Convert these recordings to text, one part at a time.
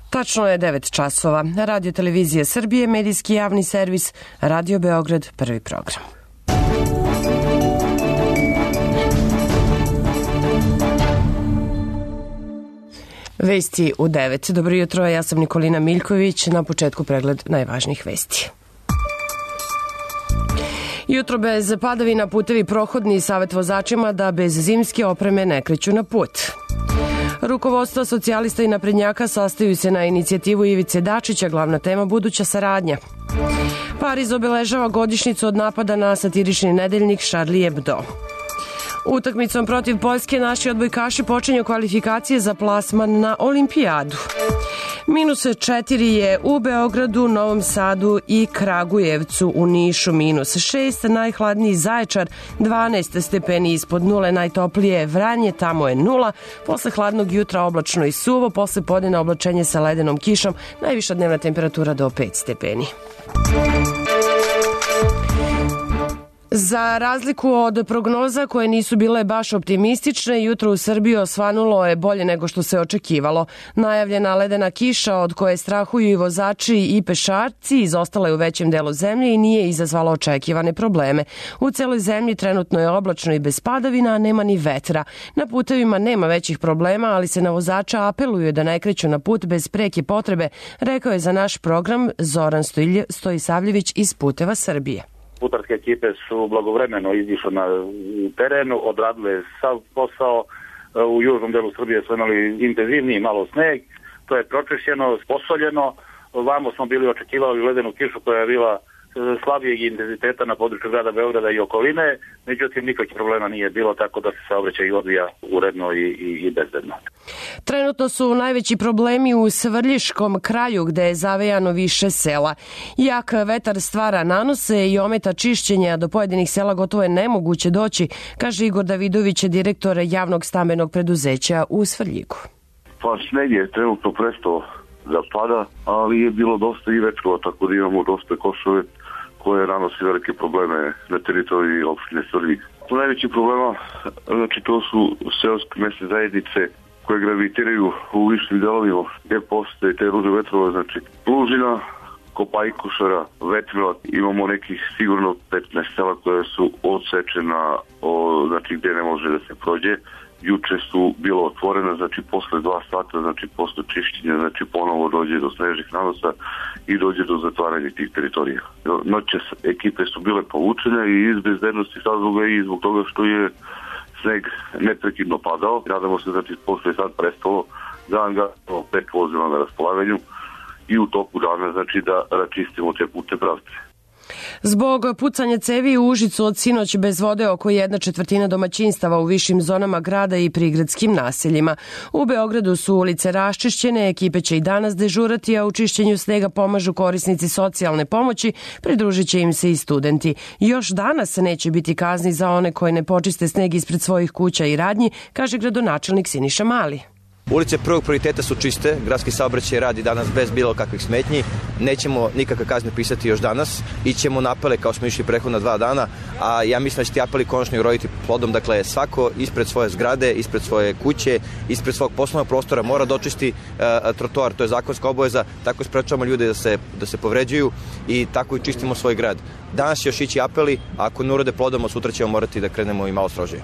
Tačno je 9 časova. Radio Televizije Srbije, medijski javni servis, Radio Beograd, prvi program. Vesti u 9. Dobro jutro, ja sam Nikolina Miljković. Na početku pregled najvažnijih vesti. Jutro bez padavina, putevi prohodni, savet vozačima da bez zimske opreme ne kreću na put. Rukovodstva socijalista i naprednjaka sastaju se na inicijativu Ivice Dačića, glavna tema buduća saradnja. Pariz obeležava godišnjicu od napada na satirični nedeljnik Charlie Hebdo. Utakmicom protiv Poljske naši odbojkaši počinju kvalifikacije za plasman na olimpijadu. -4 je u Beogradu, Novom Sadu i Kragujevcu, u Nišu -6, najhladniji Zaječar, 12 stepeni ispod nule, najtoplije Vranje, tamo je 0, posle hladnog jutra oblačno i suvo, posle podne oblačenje sa ledenom kišom, najviša dnevna temperatura do 5 stepeni. Za razliku od prognoza koje nisu bile baš optimistične, jutro u Srbiji osvanulo je bolje nego što se očekivalo. Najavljena ledena kiša od koje strahuju i vozači i pešaci izostala je u većem delu zemlje i nije izazvala očekivane probleme. U celoj zemlji trenutno je oblačno i bez padavina, a nema ni vetra. Na putevima nema većih problema, ali se na vozača apeluje da ne kreću na put bez preke potrebe, rekao je za naš program Zoran Stojisavljević iz Puteva Srbije. Putarske ekipe su blagovremeno izišle na terenu, odradile sav posao. U južnom delu Srbije smo imali intenzivniji malo sneg, to je pročišćeno, posoljeno. Vamo smo bili očekivali ledenu kišu koja je bila slabijeg intenziteta na području grada Beograda i okoline, međutim nikakvih problema nije bilo, tako da se saobraćaj odvija uredno i bezbedno. Trenutno su najveći problemi u Svrljiškom kraju gde je zavejano više sela. Jak vetar stvara nanose i ometa čišćenja, do pojedinih sela gotovo je nemoguće doći, kaže Igor Davidović, direktor javnog stambenog preduzeća u Svrljigu. Pa sneg je trenutno prestao da pada, ali je bilo dosta i vetrova, tako da imamo dosta košove koje nanosi velike probleme na teritoriji opštine Svrljig. Najveći problema, znači to su seoske mesne zajednice koje gravitiraju u višim delovima gde postoje te ruže vetrova, znači Plužina, Kopajkušara, Vetrila. Imamo nekih sigurno 15 sela koje su odsečena, znači gde ne može da se prođe. Juče su bilo otvorena, znači posle 2 sata, znači posle čišćenja, znači ponovo dođe do snežnih nanosa i dođe do zatvaranja tih teritorija. Noće ekipe su bile povučene i iz bezbednosti razloga i zbog toga što je sneg neprekidno padao. Nadamo se, znači posle sad prestalo da angažamo 5 vozila na raspolaganju i u toku dana, znači da račistimo te putne pravce. Zbog pucanja cevi u Užicu od sinoć bez vode oko 1/4 domaćinstava u višim zonama grada i prigradskim naseljima. U Beogradu su ulice raščišćene, ekipe će i danas dežurati, a u čišćenju snega pomažu korisnici socijalne pomoći, pridružit će im se i studenti. Još danas neće biti kazni za one koje ne počiste sneg ispred svojih kuća i radnji, kaže gradonačelnik Siniša Mali. Ulice prvog prioriteta su čiste, gradski saobraćaj radi danas bez bilo kakvih smetnji, nećemo nikakve kazne pisati još danas, ićemo na apele kao smo išli prethodna 2 dana, a ja mislim da će ti apeli konačno uroditi plodom, dakle svako ispred svoje zgrade, ispred svoje kuće, ispred svog poslovnog prostora mora dočisti trotoar, to je zakonska obaveza, tako sprečavamo ljude da se povređuju i tako i čistimo svoj grad. Danas će još ići apeli, a ako ne urode plodom, sutra ćemo morati da krenemo i malo strožije.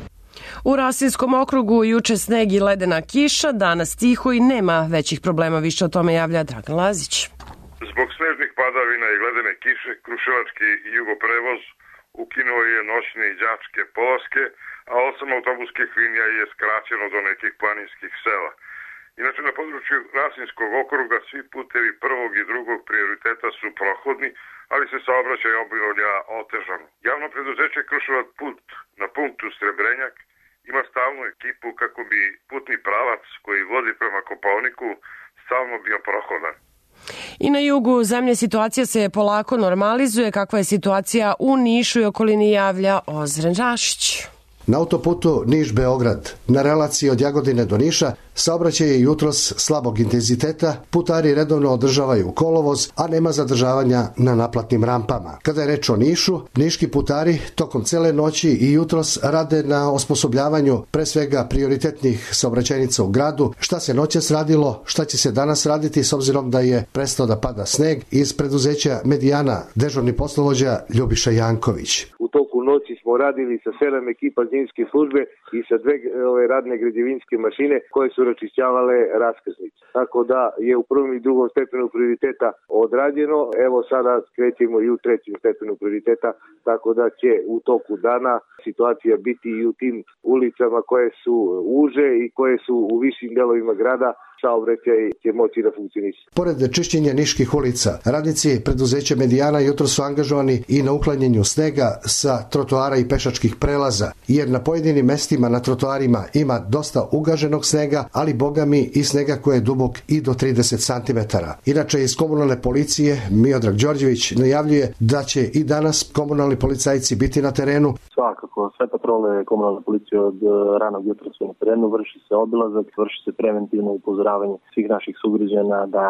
U Rasinskom okrugu juče sneg i ledena kiša, danas tiho i nema većih problema, više o tome javlja Dragan Lazić. Zbog snežnih padavina i ledene kiše, Kruševački jugoprevoz ukinuo je noćne i đačke polaske, a 8 autobuskih linija je skraćeno do nekih planinskih sela. Inače, na području Rasinskog okruga svi putevi prvog i drugog prioriteta su prohodni, ali se saobraćaj obavlja otežano. Javno preduzeće Kruševac put na punktu Srebrenjak ima stalnu ekipu kako bi putni pravac koji vodi prema Kopaoniku stalno bio prohodan. I na jugu zemlje situacija se polako normalizuje. Kakva je situacija u Nišu i okolini, javlja Ozren Rašić. Na autoputu Niš-Beograd, na relaciji od Jagodine do Niša, Saobraćaj je jutros slabog intenziteta, putari redovno održavaju kolovoz, a nema zadržavanja na naplatnim rampama. Kada je reč o Nišu, niški putari tokom cele noći i jutros rade na osposobljavanju pre svega prioritetnih saobraćajnica u gradu. Šta se noćas radilo, šta će se danas raditi s obzirom da je prestao da pada sneg, iz preduzeća Medijana dežurni poslovođa Ljubiša Janković. U toku noći smo radili sa 7 ekipa zimske službe i sa 2 radne građevinske mašine koje su račišćavale raskrsnice. Tako da je u prvom i drugom stepenu prioriteta odrađeno. Evo sada krećemo i u trećem stepenu prioriteta, tako da će u toku dana situacija biti i u tim ulicama koje su uže i koje su u višim delovima grada, saobraćaj će moći da funkcioniše. Pored čišćenja niških ulica, radnici preduzeća Medijana jutro su angažovani i na uklanjanju snega sa trotoara i pešačkih prelaza, jer na pojedinim mestima na trotoarima ima dosta ugaženog snega, ali bogami i snega koji je dubok i do 30 cm. Inače, iz komunalne policije Miodrag Đorđević najavljuje da će i danas komunalni policajci biti na terenu. Svakako, sve patrole komunalne policije od ranog jutra su na terenu, vrši se obilazak, vrši se preventivno upozoravanje svih naših sugrađana da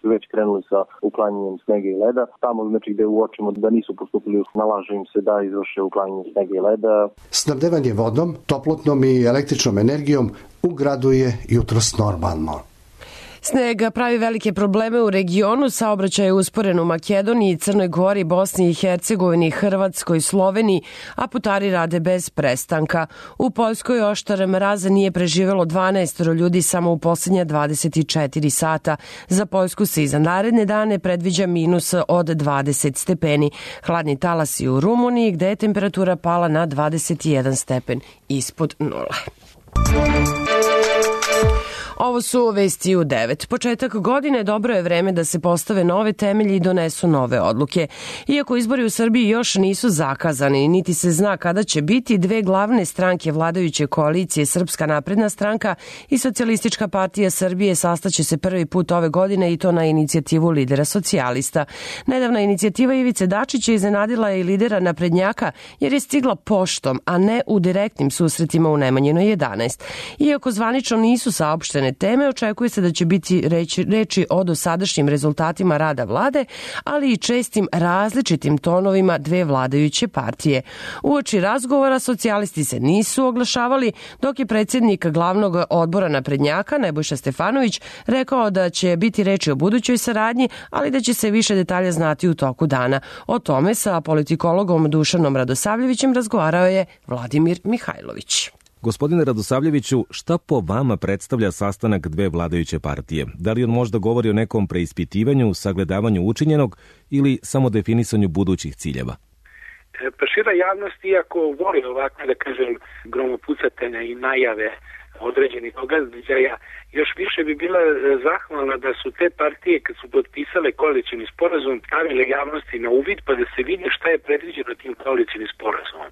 su već krenuli sa uklanjanjem snega i leda. Tamo gde uočimo da nisu postupili, nalaže im se da izvrše uklanjanje snega i leda. Snabdevanje vodom, toplotnom i električnom energijom u gradu je jutros normalno. Sneg pravi velike probleme u regionu, saobraćaj je usporen u Makedoniji, Crnoj Gori, Bosni i Hercegovini, Hrvatskoj, Sloveniji, a putari rade bez prestanka. U Poljskoj oštar mraza nije preživelo 12 ljudi samo u posljednja 24 sata. Za Poljsku se i za naredne dane predviđa minus od 20 stepeni. Hladni talas i u Rumuniji, gde je temperatura pala na 21 stepen ispod nule. Ovo su vesti u 9. Početak godine dobro je vreme da se postave nove temelji i donesu nove odluke. Iako izbori u Srbiji još nisu zakazani, niti se zna kada će biti, dve glavne stranke vladajuće koalicije, Srpska napredna stranka i Socijalistička partija Srbije, sastaće se prvi put ove godine i to na inicijativu lidera socijalista. Nedavna inicijativa Ivice Dačića iznenadila je i lidera naprednjaka jer je stigla poštom, a ne u direktnim susretima u Nemanjinoj 11. Iako zvanično nisu saopštene teme, očekuje se da će biti reči o dosadašnjim rezultatima rada vlade, ali i čestim različitim tonovima dve vladajuće partije. Uoči razgovora socijalisti se nisu oglašavali, dok je predsjednik glavnog odbora naprednjaka Nebojša Stefanović rekao da će biti reči o budućoj saradnji, ali da će se više detalja znati u toku dana. O tome sa politikologom Dušanom Radosavljevićem razgovarao je Vladimir Mihajlović. Gospodine Radosavljeviću, šta po vama predstavlja sastanak dve vladajuće partije? Da li on možda govori o nekom preispitivanju, sagledavanju učinjenog ili samo definisanju budućih ciljeva? Pa šira javnost, iako voli ovakve, da kažem, gromopucatelja i najave određenih događaja, još više bi bila zahvalna da su te partije, kad su potpisale koalicioni sporazum, stavile javnosti na uvid pa da se vidi šta je predviđeno tim koalicionim sporazumom.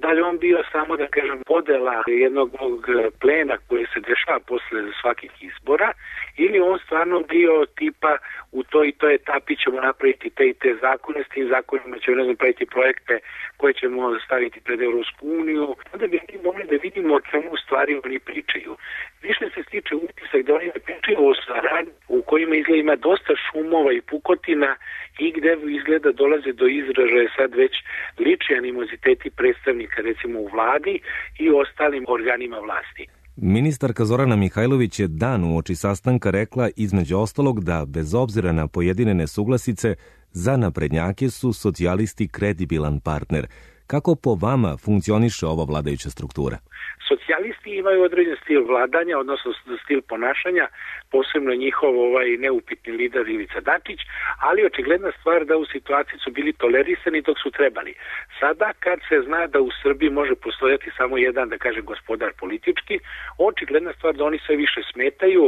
Da li on bio samo, da kažem, podela jednog plena koji se dešava posle svakih izbora, ili on stvarno bio tipa u toj i toj etapi ćemo napraviti te i te zakone, s tim zakonima ćemo napraviti projekte koje ćemo staviti pred Evropsku uniju. Onda bi mi mogli da vidimo o čemu u stvari oni pričaju. Više se stiče utisak da oni ne pričaju o saradnji u kojima izgleda ima dosta šumova i pukotina i gde izgleda dolaze do izražaja sad već lični animoziteti predstavnika recimo u vladi i ostalim organima vlasti. Ministarka Zorana Mihajlović je dan uoči sastanka rekla između ostalog da bez obzira na pojedine nesuglasice za naprednjake su socijalisti kredibilan partner. Kako po vama funkcioniše ova vladajuća struktura? Socijalisti imaju određen stil vladanja, odnosno stil ponašanja, posebno njihov neupitni lider Ivica Dačić, ali očigledna stvar da u situaciji su bili tolerisani dok su trebali. Sada kad se zna da u Srbiji može postojati samo jedan, da kaže, gospodar politički, očigledna stvar da oni sve više smetaju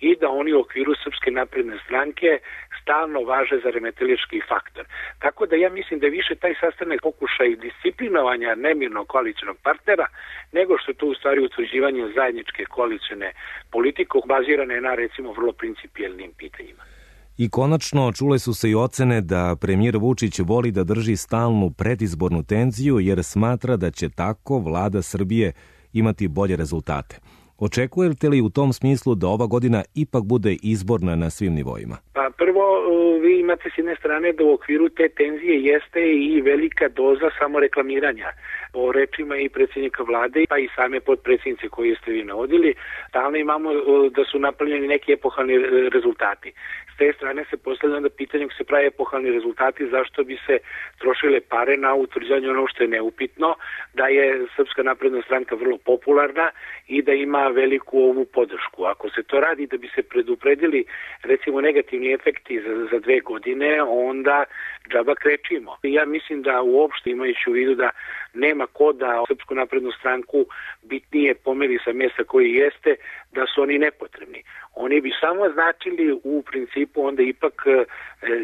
i da oni u okviru Srpske napredne stranke stalno važe za remetelički faktor. Tako da ja mislim da je više taj sastanak pokušaj disciplinovanja nemirnog koalicionog partnera, nego što to u stvari utvrđivanje zajedničke koalicione politike bazirane na recimo vrlo principijelnim pitanjima. I konačno čule su se i ocene da premijer Vučić voli da drži stalnu predizbornu tenziju jer smatra da će tako vlada Srbije imati bolje rezultate. Očekujete li u tom smislu da ova godina ipak bude izborna na svim nivoima? Pa prvo, vi imate s jedne strane da u okviru te tenzije jeste i velika doza samoreklamiranja. Po rečima i predsjednika vlade, pa i same podpredsjednice koje ste vi navodili, stalno imamo da su napravljeni neki epohalni rezultati. S te strane se postavlja onda pitanje ako se prave epohalni rezultati, zašto bi se trošile pare na utvrđivanje ono što je neupitno, da je Srpska napredna stranka vrlo popularna i da ima veliku ovu podršku. Ako se to radi da bi se predupredili recimo negativni efekti za 2 godine, onda džaba krečimo. Ja mislim da uopšte imajući u vidu da nema ko da Srpsku naprednu stranku bitnije pomeri sa mjesta koji jeste, da su oni nepotrebni. Oni bi samo značili u principu onda ipak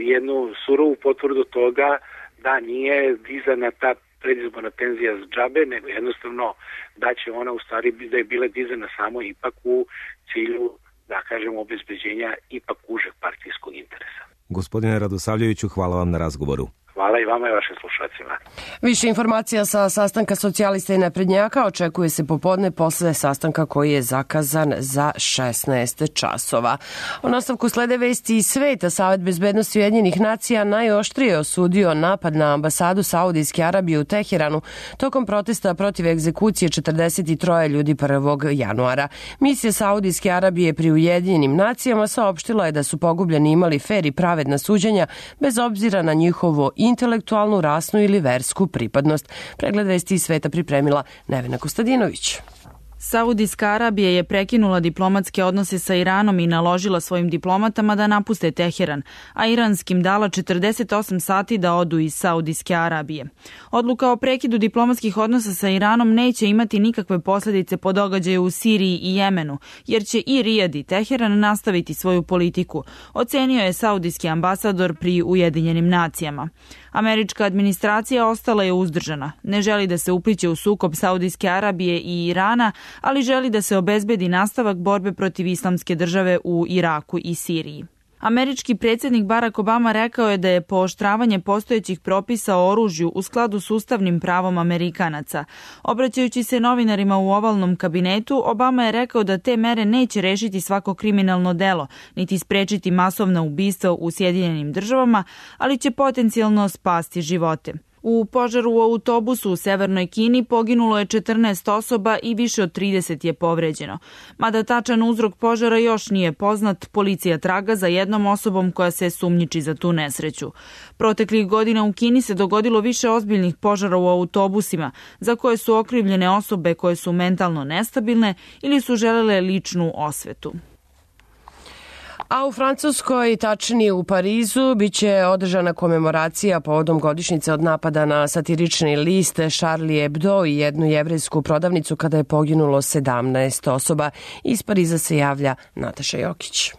jednu surovu potvrdu toga da nije dizana ta predizborna tenzija za džabe, nego jednostavno da će ona u stvari da je bila dizana samo ipak u cilju, da kažemo, obezbeđenja ipak užeg partijskog interesa. Gospodine Radosavljeviću, hvala vam na razgovoru. Hvala i vama i vašim slušacima. Više informacija sa sastanka socijalista i naprednjaka očekuje se popodne posle sastanka koji je zakazan za 16 časova. U nastavku slede vesti iz sveta. Savet bezbednosti Ujedinjenih nacija najoštrije osudio napad na ambasadu Saudijske Arabije u Teheranu tokom protesta protiv egzekucije 43 ljudi 1. januara. Misija Saudijske Arabije pri Ujedinjenim nacijama saopštila je da su pogubljeni imali fer i pravedna suđenja bez obzira na njihovo intelektualnu, rasnu ili versku pripadnost. Pregled vesti iz sveta pripremila Nevena Kostadinović. Saudijska Arabija je prekinula diplomatske odnose sa Iranom i naložila svojim diplomatama da napuste Teheran, a iranskim dala 48 sati da odu iz Saudijske Arabije. Odluka o prekidu diplomatskih odnosa sa Iranom neće imati nikakve posljedice po događaju u Siriji i Jemenu, jer će i Rijad i Teheran nastaviti svoju politiku, ocenio je saudijski ambasador pri Ujedinjenim nacijama. Američka administracija ostala je uzdržana. Ne želi da se upliće u sukob Saudijske Arabije i Irana, ali želi da se obezbedi nastavak borbe protiv islamske države u Iraku i Siriji. Američki predsjednik Barack Obama rekao je da je pooštravanje postojećih propisa o oružju u skladu s ustavnim pravom Amerikanaca. Obraćajući se novinarima u ovalnom kabinetu, Obama je rekao da te mere neće rešiti svako kriminalno delo, niti sprečiti masovna ubistva u Sjedinjenim državama, ali će potencijalno spasti živote. U požaru u autobusu u Severnoj Kini poginulo je 14 osoba i više od 30 je povređeno. Mada tačan uzrok požara još nije poznat, policija traga za jednom osobom koja se sumnjiči za tu nesreću. Proteklih godina u Kini se dogodilo više ozbiljnih požara u autobusima, za koje su okrivljene osobe koje su mentalno nestabilne ili su želele ličnu osvetu. A u Francuskoj, tačnije u Parizu, biće održana komemoracija povodom godišnjice od napada na satirični list Charlie Hebdo i jednu jevrejsku prodavnicu kada je poginulo 17 osoba. Iz Pariza se javlja Nataša Jokić.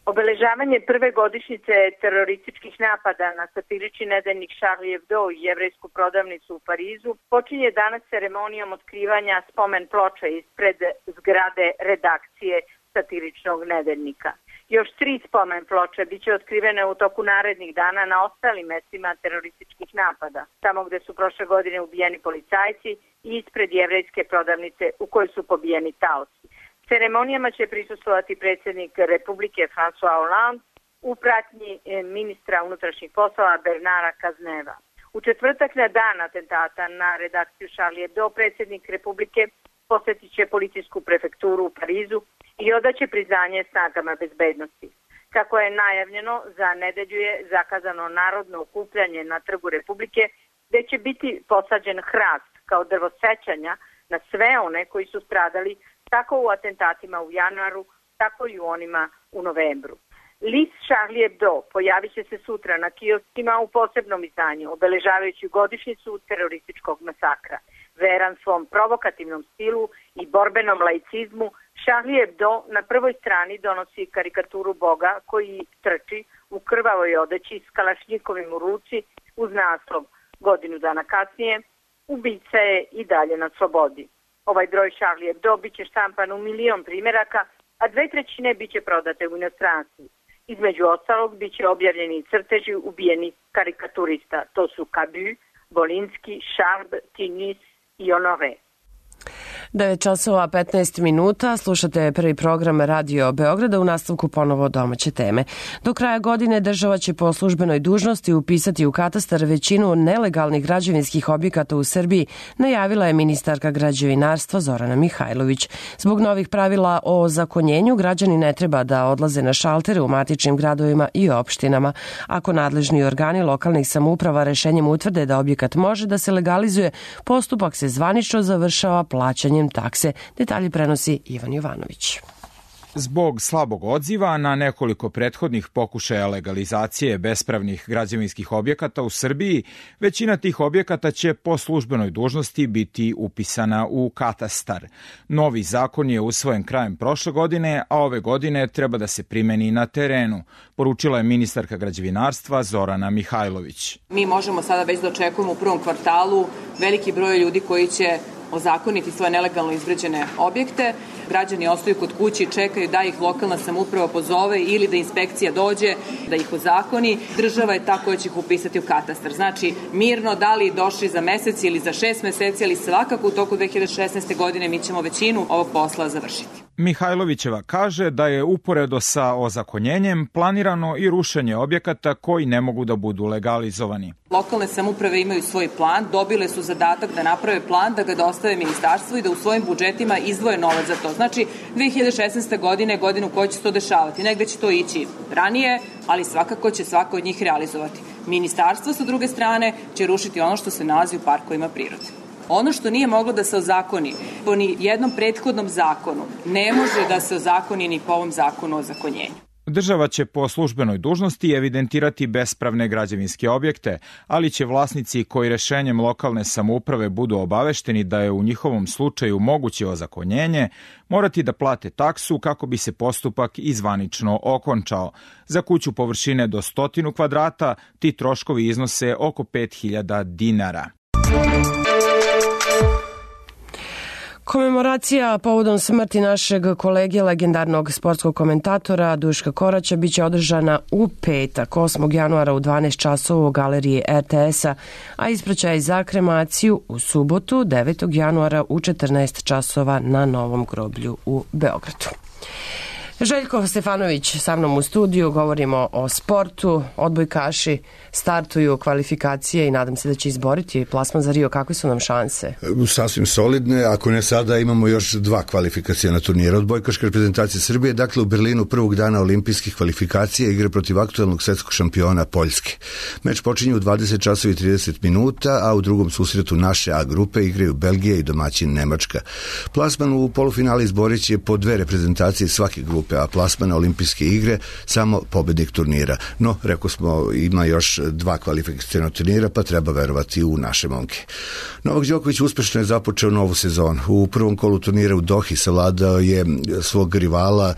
Obeležavanje prve godišnjice terorističkih napada na satirični nedeljnik Charlie Hebdo i jevrejsku prodavnicu u Parizu počinje danas ceremonijom otkrivanja spomen ploče ispred zgrade redakcije satiričnog nedeljnika. Još 3 spomen ploče biće otkrivene u toku narednih dana na ostalim mestima terorističkih napada, tamo gde su prošle godine ubijeni policajci i ispred jevrejske prodavnice u kojoj su pobijeni taoci. Ceremonijama će prisustvovati predsjednik Republike François Hollande u pratnji ministra unutrašnjih poslova Bernara Cazeneuva. U četvrtak na dan atentata na redakciju Charlie Hebdo predsjednik Republike posjetit će policijsku prefekturu u Parizu i odaće priznanje snagama bezbednosti. Kako je najavljeno, za nedelju je zakazano narodno okupljanje na Trgu Republike, gde će biti posađen hrast kao drvo sećanja na sve one koji su stradali tako u atentatima u januaru, tako i u onima u novembru. List Charlie Hebdo pojavit će se sutra na kioskima u posebnom izdanju, obeležavajući godišnjicu terorističkog masakra. Veran svom provokativnom stilu i borbenom laicizmu, Charlie Hebdo na prvoj strani donosi karikaturu Boga koji trči u krvavoj odeći s kalašnjikovim u ruci uz naslov godinu dana kasnije, ubica je i dalje na slobodi. Ovaj broj Charlie Hebdo biće štampan u 1 milion primjeraka, a 2/3 biće prodate u inostranstvu. Između ostalog biće objavljeni crteži ubijenih karikaturista. To su Cabu, Bolinski, Charb, Tinis i Honoré. 9 časova 15 minuta, slušate prvi program Radio Beograda, u nastavku ponovo domaće teme. Do kraja godine država će po službenoj dužnosti upisati u katastar većinu nelegalnih građevinskih objekata u Srbiji, najavila je ministarka građevinarstva Zorana Mihajlović. Zbog novih pravila o ozakonjenju, građani ne treba da odlaze na šaltere u matičnim gradovima i opštinama. Ako nadležni organi lokalnih samouprava rešenjem utvrde da objekat može da se legalizuje, postupak se zvanično završava plaćanjem takse. Detalje prenosi Ivan Jovanović. Zbog slabog odziva na nekoliko prethodnih pokušaja legalizacije bespravnih građevinskih objekata u Srbiji, većina tih objekata će po službenoj dužnosti biti upisana u katastar. Novi zakon je usvojen krajem prošle godine, a ove godine treba da se primeni na terenu, poručila je ministarka građevinarstva Zorana Mihajlović. Mi možemo sada već da očekujemo u prvom kvartalu veliki broj ljudi koji će ozakoniti svoje nelegalno izgrađene objekte. Građani ostaju kod kuće i čekaju da ih lokalna samouprava pozove ili da inspekcija dođe da ih ozakoni. Država je ta koja će ih upisati u katastar. Znači, mirno, da li došli za mesec ili za 6 meseci, ali svakako u toku 2016. godine mi ćemo većinu ovog posla završiti. Mihajlovićeva kaže da je uporedo sa ozakonjenjem planirano i rušenje objekata koji ne mogu da budu legalizovani. Lokalne samouprave imaju svoj plan, dobile su zadatak da naprave plan, da ga dostave ministarstvu i da u svojim budžetima izdvoje novac za to. Znači, 2016. godine je godinu koja će se to dešavati. Negde će to ići ranije, ali svakako će svako od njih realizovati. Ministarstvo, sa druge strane, će rušiti ono što se nalazi u parkovima prirode. Ono što nije moglo da se ozakoni po ni jednom prethodnom zakonu, ne može da se ozakoni ni po ovom zakonu o ozakonjenju. Država će po službenoj dužnosti evidentirati bespravne građevinske objekte, ali će vlasnici koji rešenjem lokalne samouprave budu obavešteni da je u njihovom slučaju moguće ozakonjenje, morati da plate taksu kako bi se postupak izvanično okončao. Za kuću površine do 100 kvadrata ti troškovi iznose oko 5.000 dinara. Komemoracija povodom smrti našeg kolege, legendarnog sportskog komentatora Duška Koraća, biće održana u petak, 8. januara u 12 časova u galeriji RTS-a, a ispraćaj za kremaciju u subotu, 9. januara u 14 časova na Novom groblju u Beogradu. Željko Stefanović sa mnom u studiju, govorimo o sportu, odbojkaši startuju kvalifikacije i nadam se da će izboriti plasman za Rio. Kakve su nam šanse? Sasvim solidne, ako ne sada imamo još 2 kvalifikacijena turnira. Odbojkaška reprezentacija Srbije, dakle u Berlinu prvog dana olimpijskih kvalifikacija igre protiv aktualnog svetskog šampiona Poljske. Meč počinje u 20 časova i 30 minuta, a u drugom susretu naše A grupe igraju Belgija i domaćin Nemačka. Plasman u polufinale izborit će po 2 reprezentacije svake grupe, a plasman na olimpijske igre samo pobednik turnira. No, rekao smo, ima još 2 kvalifikacijena turnira, pa treba verovati u naše momke. Novak Đoković uspešno je započeo novu sezonu. U prvom kolu turnira u Dohi savladao je svog rivala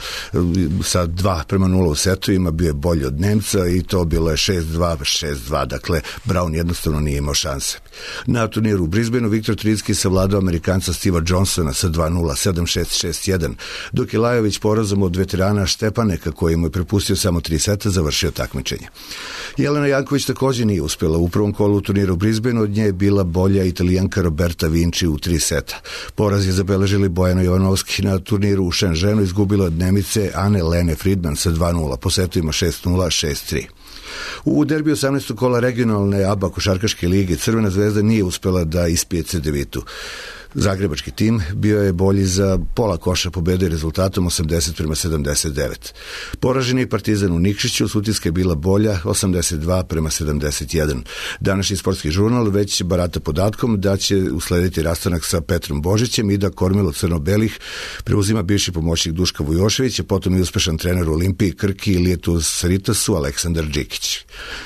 sa 2:0 u setovima, bio je bolji od Nemca i to bilo je 6-2, 6-2, dakle Brown jednostavno nije imao šanse. Na turniru u Brisbaneu Viktor Tricki savladao Amerikanca Steva Johnsona sa 2:0, 7-6, 6-1, dok je Lajović porazom od veterana Štepaneka, koji mu je prepustio samo 3 seta, završio takmičenje. Jelena Janković također nije uspjela. U prvom kolu turnira u Brisbaneu od nje je bila bolja Italijanka Roberta Vinci u 3 seta. Poraz je zabeležili Bojana Jovanovski. Na turniru u Shenzhenu izgubila od Nemice Anne Lene Friedman sa 2:0, po setovima 6:0, 6:3. U derbiju 18. kola regionalne ABA košarkaške lige Crvena zvezda nije uspjela da ispije Cedevitu. Zagrebački tim bio je bolji za pola koša, pobede rezultatom 80-79. Poraženi Partizan u Nikšiću, Sutjeska je bila bolja 82-71. Današnji sportski žurnal već barata podatkom da će uslediti rastanak sa Petrom Božićem i da kormilo crno-belih preuzima bivši pomoćnik Duška Vujoševića, potom i uspešan trener u Olimpiji, Krki i Lijetu Saritasu Aleksandar Đikić.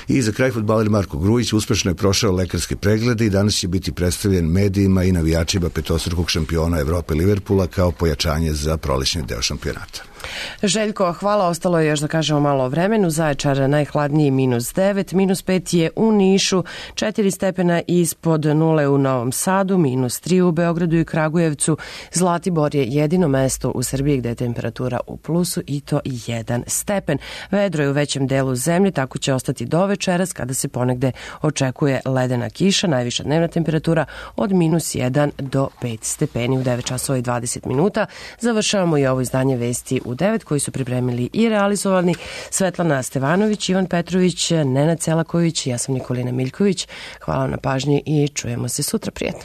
I za kraj fudbaler Marko Grujić uspešno je prošao lekarske preglede i danas će biti predstavljen medijima i navijačima petostrukog šampiona Evrope Liverpoola kao pojačanje za prolećni deo šampionata. Željko, hvala. Ostalo je još da kažemo malo o vremenu. Zaječar najhladniji -9, -5 je u Nišu, 4 stepena ispod nule u Novom Sadu, -3 u Beogradu i Kragujevcu. Zlatibor je jedino mesto u Srbiji gde je temperatura u plusu i to 1 stepen. Vedro je u većem delu zemlje, tako će ostati do večeras kada se ponegde očekuje ledena kiša. Najviša dnevna temperatura od -1 do 5 stepeni u 9 časova i 20 minuta. Završavamo i ovo izdanje Vesti u 9 koji su pripremili i realizovani Svetlana Stevanović, Ivan Petrović, Nenad Celaković, ja sam Nikolina Miljković. Hvala na pažnji i čujemo se sutra. Prijetno.